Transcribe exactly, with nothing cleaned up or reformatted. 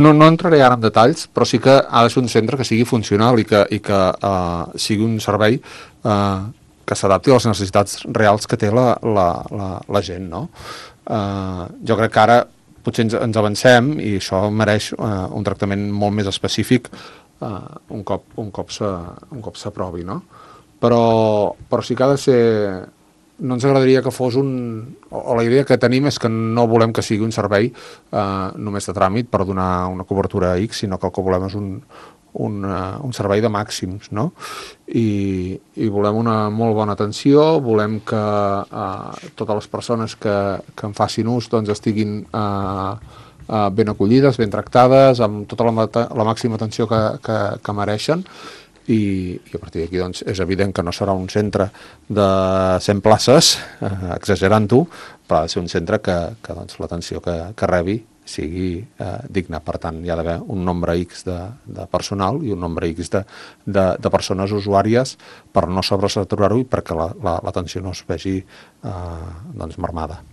No, no entraré ara en detalls, però sí que ha de ser un centre que sigui funcional i que, i que uh, sigui un servei uh, que s'adapti a les necessitats reals que té la, la, la, la gent, no? Uh, jo crec que ara potser ens, ens avancem i això mereix uh, un tractament molt més específic uh, un cop, un cop s'aprovi, no? Però, però sí que ha de ser... No ens agradaria que fos un... o la idea que tenim és que no volem que sigui un servei eh, només de tràmit per donar una cobertura X, sinó que el que volem és un, un, uh, un servei de màxims, no? I, i volem una molt bona atenció, volem que uh, totes les persones que, que en facin ús doncs estiguin uh, uh, ben acollides, ben tractades, amb tota la, la màxima atenció que, que, que mereixen. I, i a partir d'aquí doncs, és evident que no serà un centre de cent places, eh, exagerant-ho, però ha de ser un centre que, que doncs, l'atenció que, que rebi sigui eh, digna. Per tant, hi ha d'haver un nombre X de, de personal i un nombre X de, de, de persones usuàries per no sobresaturar-ho i perquè l'atenció la, la, no es vegi eh, doncs, marmada.